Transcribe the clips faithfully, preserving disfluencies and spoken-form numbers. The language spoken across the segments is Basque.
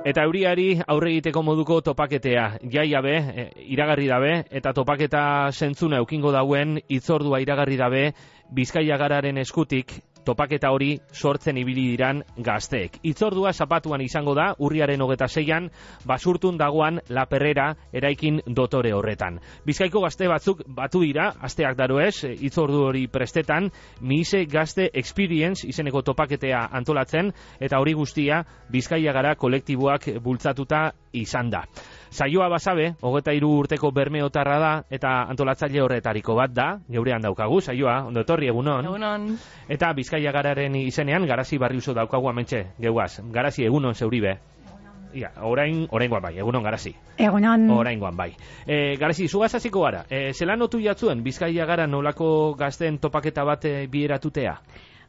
Eta euriari aurre egiteko moduko topaketea, jaia be, iragarri dabe, eta topaketa zentzuna eukingo dauen hitzordua iragarri dabe, Bizkaia Gararen eskutik topaketa hori sortzen ibili diran gazteek. Hitzordua zapatuan izango da, urriaren hogeta seian, basurtun dagoan La Perrera eraikin dotore horretan. Bizkaiko gazte batzuk batu dira, asteak daroez, hitzordu hori prestetan, Miise Gazte Experience izeneko topaketea antolatzen, eta hori guztia Bizkaia Gara kolektiboak bultzatuta izan da. Saioa basabe, hogeta hiru urteko bermeotarra da, eta antolatzaile horretariko bat da, geurean daukagu, saioa, ondo etorri, egunon. Egunon. Eta Bizkaia Gararen izenean, Garazi Barriuso daukagu amentxe, geuaz. Garazi, egunon zeuribe. Ia, orain, oraingoan bai, egunon Garazi. Egunon. Oraingoan bai. E, Garazi, zugaz hasiko gara. E, zelan notu jatzuen Bizkaia Gara nolako gazten topaketa bat e, bieratutea?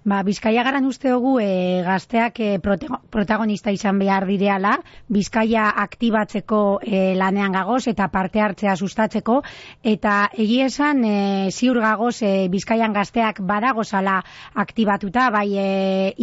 Ba, Bizkaia Garan uste dugu e, gazteak e, protagonista izan behar direala, Bizkaia aktibatzeko e, lanean gagoz eta parte hartzea sustatzeko, eta egia esan e, ziur gagoz e, Bizkaian gazteak badagozala aktibatuta, bai e,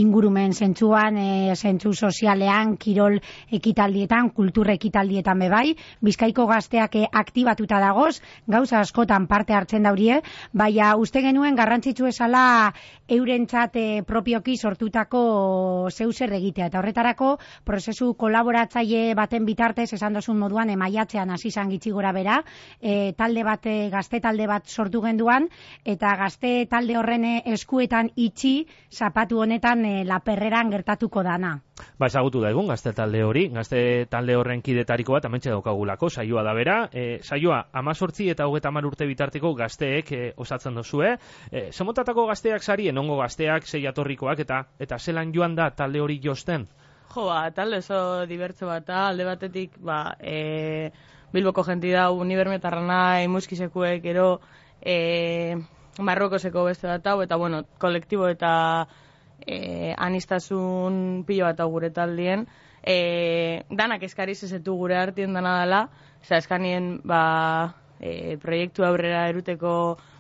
ingurumen zentzuan, e, zentzu sozialean, kirol ekitaldietan, kultur ekitaldietan bebai, Bizkaiko gazteak e, aktibatuta dagoz, gauza askotan parte hartzen daurie, baina uste genuen garrantzitsu esala eurentzat e, propioki sortutako zeuser egitea. Eta horretarako, prozesu kolaboratzaile baten bitartez, esan dozun moduan, emaiatzean hasi izan gitxi gora bera, e, talde bat, e, gazte talde bat sortu genduan, eta gazte talde horren eskuetan itxi, zapatu honetan e, La Perreran gertatuko dana. Ba, ezagutu da egun, gazte talde hori, gazte talde horren kidetariko bat, amentxe daukagulako, saioa da bera, e, saioa amazortzi eta hogeta hamar urte bitarteko gazteek e, osatzen dozue, e, zemotatako gazteak sarien, ongo gazteak, sei atorrikoak, eta eta zelan joan da talde hori josten? Jo, ba, talde oso dibertso bat, alde batetik, ba, e, Bilboko jenti da, unibermetarra nahi, muskisekuek, ero, e, Marrokoseko beste bat hau, eta, bueno, kolektibo eta e, anistasun pilo bat hau gure taldien, e, danak eskariz ezetu gure artien dana dela, oza, eskanien, ba, e, proiektu aurrera eruteko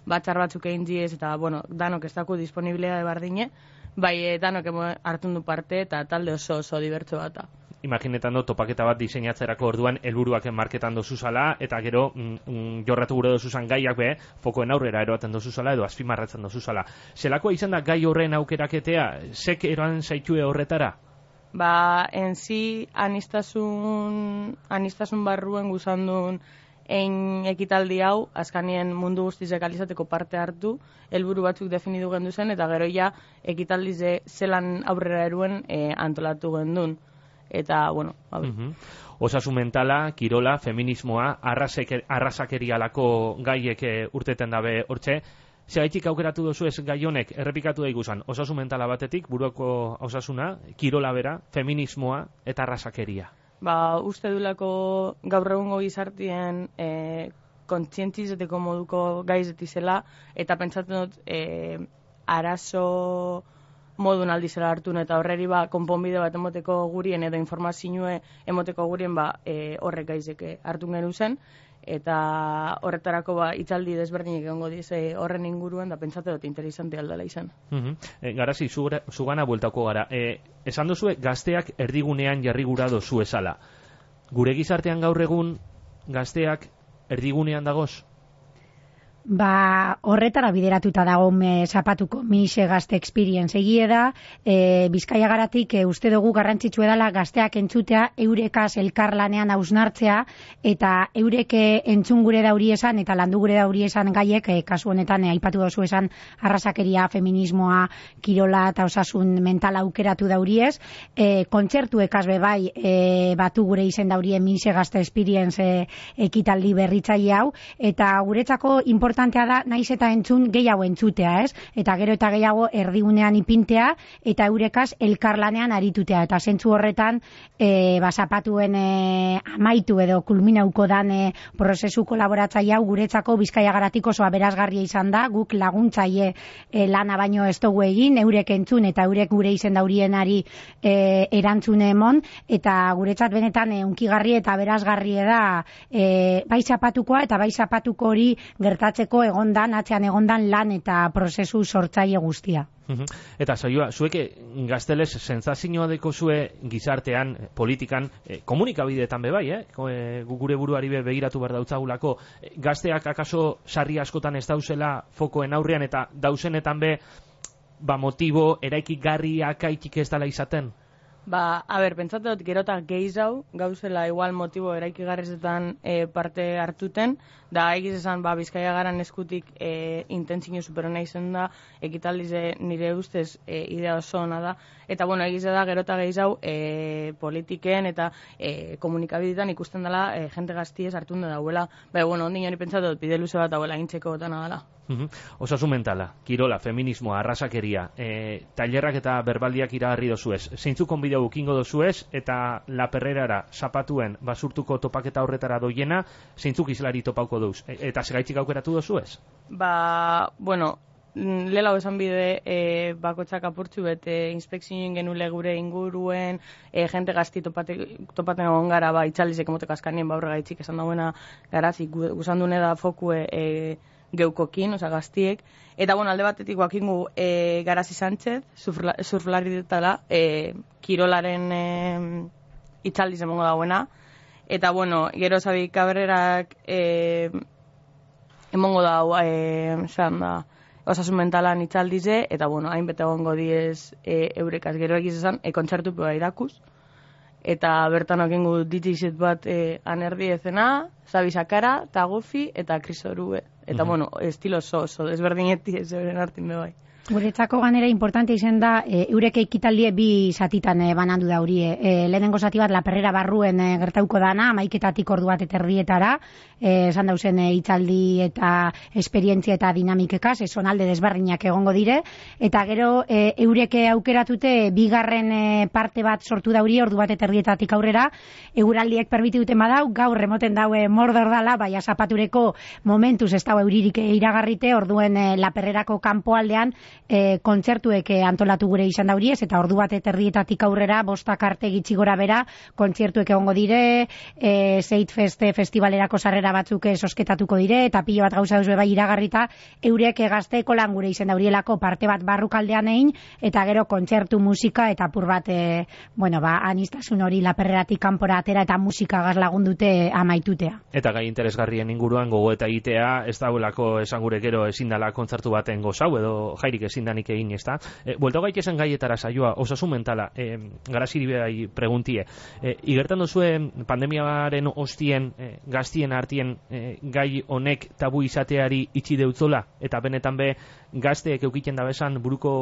batzar batzuk egin diez, eta, bueno, danok ez daku disponibilea bardine, bai, e, danok hartun du parte, eta talde oso oso dibertso bat. Imaginetan do, topaketa bat diseinatzerako orduan helburuak marketan dozuzala, eta gero mm, jorratu gure dozuzan gaiak be, fokoen aurrera eroaten dozuzala, edo azpimarratzen dozuzala. Zelakoa izan da gai horren aukeraketea, zek eroan zaitue horretara? Ba, enzi anistasun, anistasun barruen guzandun egin ekitaldi hau, azkanien mundu guztizek alizateko parte hartu, helburu batzuk definidu gendu zen, eta gero ja ekitaldize zelan aurrera eruen e, antolatu gendun. Eta, bueno, hau. Uh-huh. Osasun mentala, kirola, feminismoa, arrazakerialako gaiek urteten dabe hortxe. Zeraitik aukeratu dozu ez gai honek, errepikatu da ikusan, osasun mentala batetik, buruako osasuna, kirola bera, feminismoa eta arrazakeria. Ba, uste dulako gaur egungo gizartien e, kontzientzizeteko moduko gaizetizela, eta pentsatzen dut e, arazo modun aldizela hartun, eta horreri ba, konponbide bat emoteko gurien, edo informazioe emoteko gurien ba, e, horrek gaizeke hartun genu zen, eta horretarako ba, itzaldi desberdinek egongo dize horren inguruan, da pentsatu dut interesante aldala izan. Uh-huh. E, Garazi, zugana bueltako gara. E, esan dozue, gazteak erdigunean jarri gura dozu esala. Gure gizartean gaur egun, gazteak erdigunean dagoz? Ba, horretara bideratuta dago me zapatuko Miise Gazte Experience. Egie da, e, Bizkaia Garatik e, uste dugu garrantzitsu edala gazteak entzutea, eurekaz elkarlanean hausnartzea, eta eureke entzun gure dauri esan, eta landu gure dauri esan gaiek, e, kasu honetan e, aipatu dozu esan arrazakeria, feminismoa, kirola eta osasun mentala aukeratu dauriez, e, kontzertu ekaz bebai e, batu gure izen daurie Miise Gazte Experience e, ekitaldi berritzaile hau, eta guretzako importante da, naiz eta entzun gehiago entzutea, ez? Eta gero eta gehiago erdigunean ipintea, eta eurekaz elkarlanean aritutea. Eta zentzu horretan, e, bazapatuen e, amaitu edo kulminauko dan e, prozesu kolaboratzaile hau guretzako Bizkaia Garatik oso aberazgarria izan da, guk laguntzaile e, lana baino ez dugu egin, eurek entzun eta eurek gure izen daurienari e, erantzune emon, eta guretzat benetan e, unkigarri eta aberazgarria da e, bai zapatukoa eta bai zapatuko hori gertatzen antolatzeko egondan, atzean egondan lan eta prozesu sortzaile guztia. Eta saioa, zuek gazteles sentsazioa deko zue gizartean, politikan, eh, komunikabideetan be bai, eh? E, gure buruari be begiratu behar dautzagulako, gazteak akaso sarri askotan ez dauzela fokoen aurrean eta dauzenetan be ba motibo eraikigarriak aitik ez dela izaten? Ba, a ber, pentsatu dut gerota gehiago gauzela igual motibo eraikigarrizetan e, parte hartuten, da egiz esan, ba, Bizkaia Garan eskutik e, intentzio superona izen da, ekitaldize nire ustez e, idea oso ona da, eta bueno, egiz da gerota gehiago e, politiken eta e, komunikabidetan ikusten dela e, jente gaztiez hartun da dauela, ba, bueno, ondin hori pentsatu dut bide luze bat dauela intzeko botana dela. Uhum. Osasun mentala, kirola, feminismoa, arrasakeria, e, tailerrak eta berbaldiak iragarri dozuez. Zeintzuk konbideu ukingo dozuez eta La Perrerara zapatuen basurtuko topaketa horretara doiena, zeintzuk izlari topauko duz. E, eta segaitzik aukeratu dozuez? Ba, bueno, lela esan bide e, bakotxak apurtzu bete inspekzioen genule gure inguruen e, jente gazti topate, topaten egon gara ba, itxaldizek emotek askanien baurra gaitzik esan dauena garazik guzandune da fokue e, geukokin, oza, gaztiek. Eta, bueno, alde batetik guakingu e, Garazi Sánchez, surflari ditala, e, kirolaren e, itxaldiz emongo dauena. Eta, bueno, gero Xabi Cabrerak e, emongo dau, e, zan da, osasun mentalan itxaldize, eta, bueno, hainbete egongo diez e, eurekaz gero egiz esan, e, kontzertu peba irakuz. Eta bertan okengu D J set bat e, anerdi ezena, Xabi Sakara, Tagofi eta Chris Orue. Eta, mm-hmm. bueno, estilo oso, oso, desberdineti ez euren hartin be bai. Guretzako ganera importante izen da, e, eureke ekitaldie bi zatitan e, banandu da hurie. E, lehenengo zati bat La Perrera barruen e, gertauko dana, amaiketatik ordu bat eterdietara, e, esan dauzen e, itzaldi eta esperientzia eta dinamikekaz, e, sonalde desberdinak egongo dire, eta gero e, eureke aukeratute bigarren e, parte bat sortu da hurie, ordu bat eterdietatik aurrera, euraldiek permiti duten badau, gaur remoten daue mordor dala, baina zapatureko momentuz ez daue euririk iragarrite, orduen e, La Perrerako kanpoaldean, E, kontzertuek antolatu gure izan dauriez, eta ordu bat eterdietatik aurrera, bostak arte gitxi gora bera, kontzertuek egongo dire, e, Zeitfest festivalerako sarrera batzuk sosketatuko dire, eta pilo bat gauza duzue bai iragarrita, eurek gazteko lan gure izan daurielako parte bat barrukaldean egin, eta gero kontzertu musika, eta apur bat, e, bueno, ba, anistasun hori La Perreratik kanpora atera, eta musika gaz lagundute amaitutea. Eta gai interesgarrien inguruan gogo eta egitea, ez dauelako esan gure gero ezin dela kontzertu baten gozau, edo jairik ezin danik egin, ez da? E, Buelta gaitezen gaietara saioa, osasun mentala, e, Garaziri behai preguntie. E, igertan duzue pandemiaren ostien, e, gaztien artien e, gai honek tabu izateari itxi deutzola, eta benetan be gazteek eukiten da bezan buruko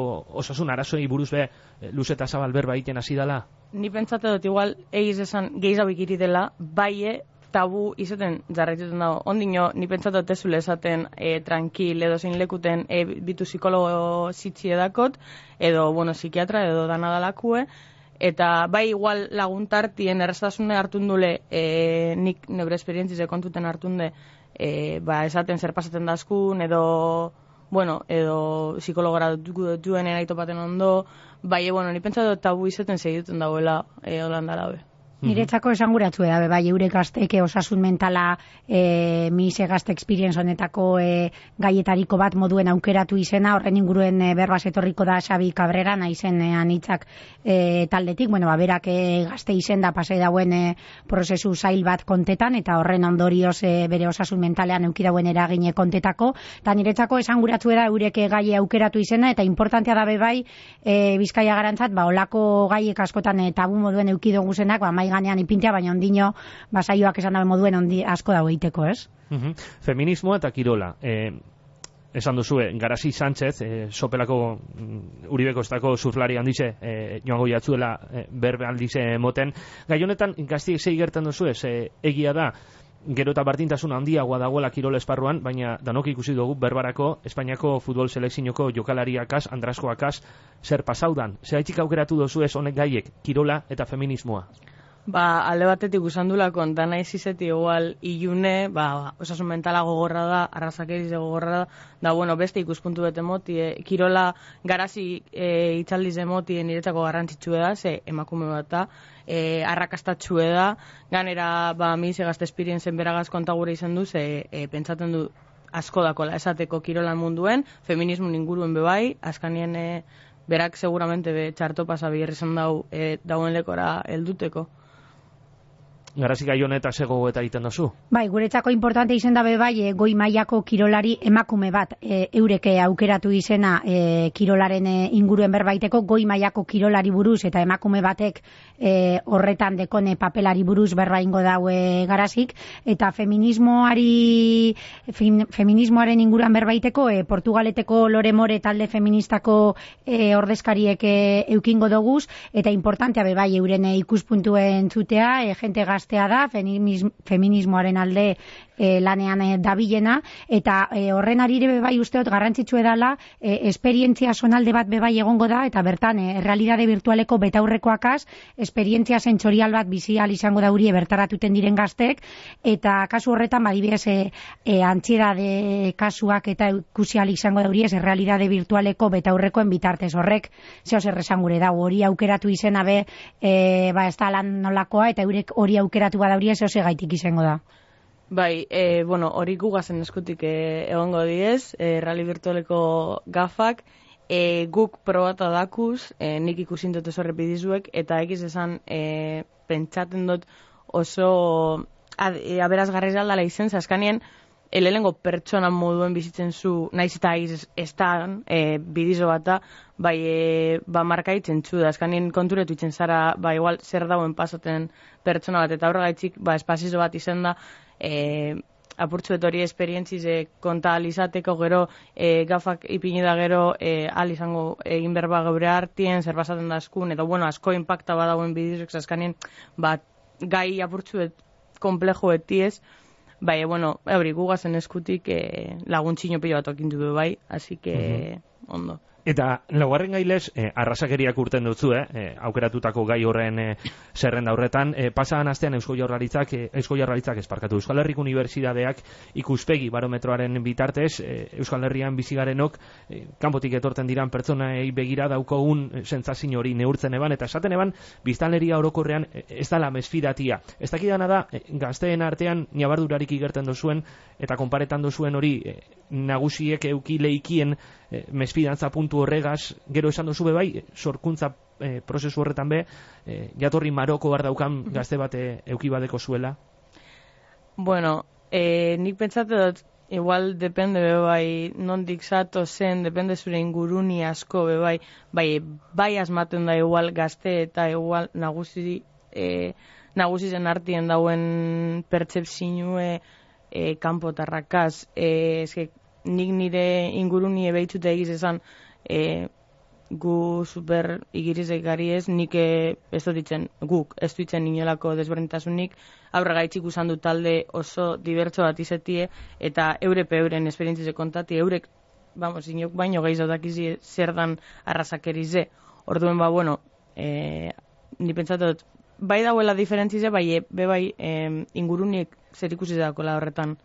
osasun arazoi buruz be e, luz eta zabal berba egiten hasi dela? Ni pentsate dut igual egiz esan gehiago ikiri dela, baie tabu izaten jarraituten dago. Ondino, ni pentsatu tezule esaten e, tranquil edo zein lekuten e, bitu psikologo zitzi edakot, edo, bueno, psikiatra edo danadalakue, eta bai igual laguntartien erraztasune hartundule e, nik nebre esperientzize kontuten hartunde e, ba, esaten zer pasaten dazkun, edo, bueno, edo psikologora dutuen eraitopaten ondo, bai, e, bueno, ni pentsatu tabu izaten segituten dagoela e, holandara be. Niretzako esanguratzu da, bai, eure gazteke osasun mentala e, mise gazte experience honetako e, gaietariko bat moduen aukeratu izena, horren inguruen e, berbaz etorriko da Xabi Cabrera, naizen e, anitzak e, taldetik, bueno, ba, berak e, gazte izen da pasai dauen e, prozesu zail bat kontetan, eta horren ondorioz e, bere osasun mentalean eukidauen eragine kontetako, eta niretzako esanguratzu da eureke gaie aukeratu izena, eta importantea da bai e, Bizkaia Garantzat, ba, olako gaiek askotan e, tabu moduen eukidogu zenak, ba, ganean ipintea, baina ondino basaioak esan dabe moduen ondi asko dago egiteko, ez? Uh-huh. Feminismoa eta kirola. Eh, esan duzue, Garazi Sánchez, eh, sopelako mm, Uribeko estako surflari handize, eh, joango jatzuela eh, berbe handize moten. Gai honetan, gaztiek zei gertan duzue, eh, egia da, gero eta bardintasun handiagoa dagoela kirol esparruan, baina danok ikusi dugu berbarako Espainiako futbol selekzioko jokalariakaz, Andraskoakaz, zer pasaudan. Zeraitik aukeratu duzu ez honek gaiek, kirola eta feminismoa? Ba, alde batetik usandulako, dana izizeti igual ilune, ba, osasun mentala gogorra da, arrazakeriz gogorra da, da, bueno, beste ikuspuntu bete moti, e, kirola Garazi e, itxaldiz emoti niretzako garrantzitsue da, ze emakume bat da, e, arrakastatxue da, ganera, ba, mi ze gazte esperienzen beragaz kontagure izan du, ze e, pentsaten du asko dakola esateko kirolan munduen, feminismo inguruen bebai, askanien e, berak seguramente be txarto pasa bihar izan dau e, dauen lekora helduteko. Garazik gai honeta zego eta egiten dozu? Bai, guretzako importante izen da bai, e, goi mailako kirolari emakume bat e, eureke aukeratu izena e, kirolaren e, inguruen berbaiteko, goi mailako kirolari buruz eta emakume batek e, horretan dekone papelari buruz berba ingo daue Garazik, eta feminismoari fem, feminismoaren inguruan berbaiteko e, Portugaleteko Lore More talde feministako e, ordezkariek e, eukingo doguz, eta importantea be bai euren e, ikuspuntuen zutea, e, jente gazte da, feminismoaren alde e, lanean e, dabilena, eta e, horren arire bai usteot garrantzitsu edala, e, esperientzia sonalde bat bebai egongo da, eta bertan, e, realidade virtualeko betaurrekoakaz, esperientzia sentsorial bat bizi al izango daurie bertaratuten diren gaztek, eta kasu horretan badibidez e, e, antziedade kasuak eta ikusi al izango daurie ez realidade virtualeko betaurrekoen bitartez horrek, zeo zer esan gure dago, hori aukeratu izena be, e, ba ez da lan nolakoa, eta eurek hori aukeratu aukeratu badauria zeo segaitik izango da. Bai, e, bueno, hori gugazen eskutik e, egongo diez, e, rally virtualeko gafak, e, guk probata dakuz, e, nik ikusin dut oso repidizuek, eta egiz esan e, pentsaten dut oso ad, e, aberazgarri aldala izen, zaskanien, elelengo pertsonan moduen bizitzen zu, naiz eta egiz ez da e, bidizo bata, bai, e, ba markaitzen zu, da, azkanien konturetu itzen zara, ba, igual, zer dauen pasaten pertsona bat, eta horregaitzik, ba, espazizo bat izen da, e, apurtzuet hori esperientziz e, konta alizateko gero, e, gafak ipini da gero, e, al izango egin berba geure hartien, zer basaten da askun, eta bueno, asko impacta badauen bidizok, azkanien, ba, gai apurtzuet komplejo etiez, bai, bueno, hori gugazen eskutik e, laguntxino pilo bat okindu bai, así que, uh-huh. Ondo. Eta laugarren gailez, eh, arrasakeriak urten dutzu, eh, eh, aukeratutako gai horren eh, zerrenda horretan, eh, pasadan astean Eusko Jaurlaritzak, eh, Eusko Jaurlaritzak esparkatu Euskal Herriko Unibertsitateak ikuspegi barometroaren bitartez, eh, Euskal Herrian bizigarenok, eh, kanpotik etorten diran pertsonei begira daukogun eh, sentsazio hori neurtzen eban, eta esaten eban, biztanleria orokorrean eh, ez dala mesfidatia. Ez dakidana da, eh, gazteen artean nabardurarik igerten dozuen, eta konparetan dozuen hori eh, nagusiek euki leikien eh, mesfidantza puntu horregaz, gero esan dozu bai, sorkuntza e, prozesu horretan be, e, jatorri Maroko bar daukan gazte bate euki badeko zuela? Bueno, e, nik pentsatu dut, igual depende be bai, nondik zato zen, depende zure inguruni asko be bai, bai, bai asmaten da igual gazte eta igual nagusi, e, nagusi zen artien dauen pertsepzinue e, kanpotarrakaz, e, eske, nik nire inguruni ebeitzute egiz esan, E, gu super igirizek gari ez, nik e, ez dut ditzen, guk ez ditzen inolako desberdintasunik, aurregaitzik usan du talde oso dibertso bat izetie, eta eurepe euren esperientzize kontati, eurek, vamos, inok baino gehiago dakizi zer dan arrasakerize. Orduen ba, bueno, e, ni pentsatot, bai dauela diferentzize, bai, be bai, e, ingurunik zer ikusi dakola horretan.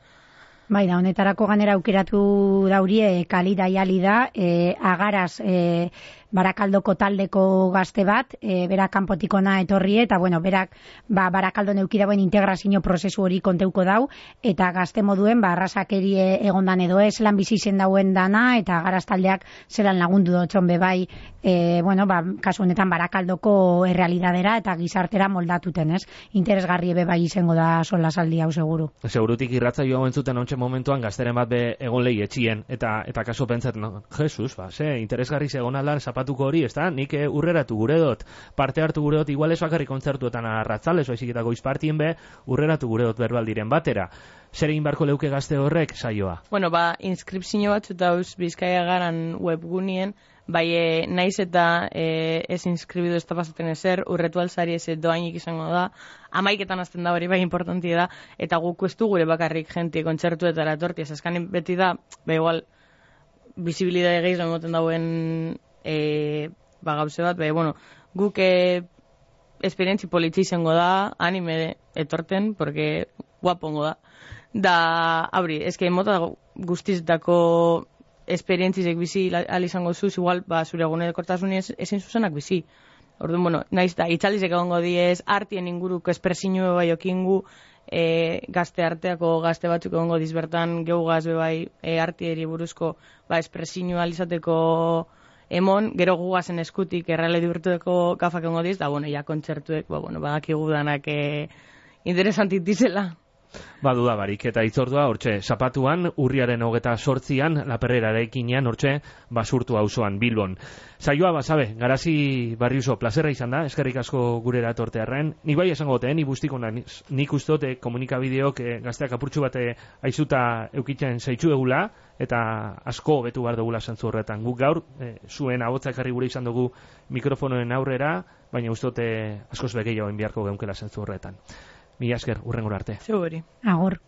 Bai, da, honetarako ganera aukeratu daurie kalida jali da, e, agaraz e, Barakaldoko taldeko gazte bat, e, berak kanpotikona etorri, eta bueno, berak ba, Barakaldo neuki dauen integrazio prozesu hori konteuko dau, eta gazte moduen, ba, arrasakerie egondan edo ez, lan bizi zen dauen dana, eta agaraz taldeak zelan lagundu dutxon be bai, e, bueno, ba, kasu honetan Barakaldoko errealidadera eta gizartera moldatuten, ez? Interesgarri be bai izango da sola saldi hau seguru. Segurutik irratzaio hau entzuten ontsen momentuan gazteren bat be egon lehi etxien, eta, eta kaso pentsat, no? Jesus, ba, ze, interesgarri zegoen aldan zapatuko hori, ez da? Nik eh, urreratu gure dut, parte hartu gure dut, igual ez bakarrik kontzertuetan arratzalez, oizik eta goizpartien be, urreratu gure dut berbaldiren batera. Zer egin barko leuke gazte horrek saioa? Bueno, ba, inskripzio batzu dauz Bizkaia garan webgunien, bai, e, naiz eta e, ez inskribidu ez da pasaten ezer, urretu alzari ez doainik izango da, amaiketan azten da hori bai importanti da, eta guk ez du gure bakarrik jenti kontzertuetara etorti, ez azkanin beti da, ba igual, bizibilidade gehiago emoten dauen e, ba gauze bat, ba, bueno, guk e, esperientzi politxe izango da, anime etorten, porque guapongo da, da, abri, eske mota guztiztako esperientzizek bizi al izango zuz, igual, ba, zure egunerokortasun ezin zuzenak bizi. Orduan, bueno, naiz da, itxaldizek egongo diez, artien inguruko espresinue bai okingu, e, gazte arteako gazte batzuk egongo dizbertan geugaz bai e, artieri buruzko ba, espresinua alizateko emon, gero gugazen eskutik errealedi urtueko gafak egongo diz, da, bueno, ja kontzertuek, ba, bueno, badakigu danak e, interesantit dizela. Ba, dudabarik, eta itzordua, hortxe, zapatuan, urriaren hogeta sortzian, laperrera eraikinean, hortxe, basurtu auzoan Bilbon. Saioa, basabe, garazi barriuso, plazerra izan da, eskerrik asko gurera etortearren. Ni bai esango gote, ni bustiko naiz, nik ustote komunikabideok eh, gazteak apurtxu bate aizuta eukitzen zaitxu egula, eta asko betu behar dugula zantzu horretan. Guk gaur, eh, zuen ahotzak harri gure izan dugu mikrofonoen aurrera, baina ustote askoz begeioen biharko geunkela zantzu horretan. Mila esker, urrengora arte. Zeu hori. Agor.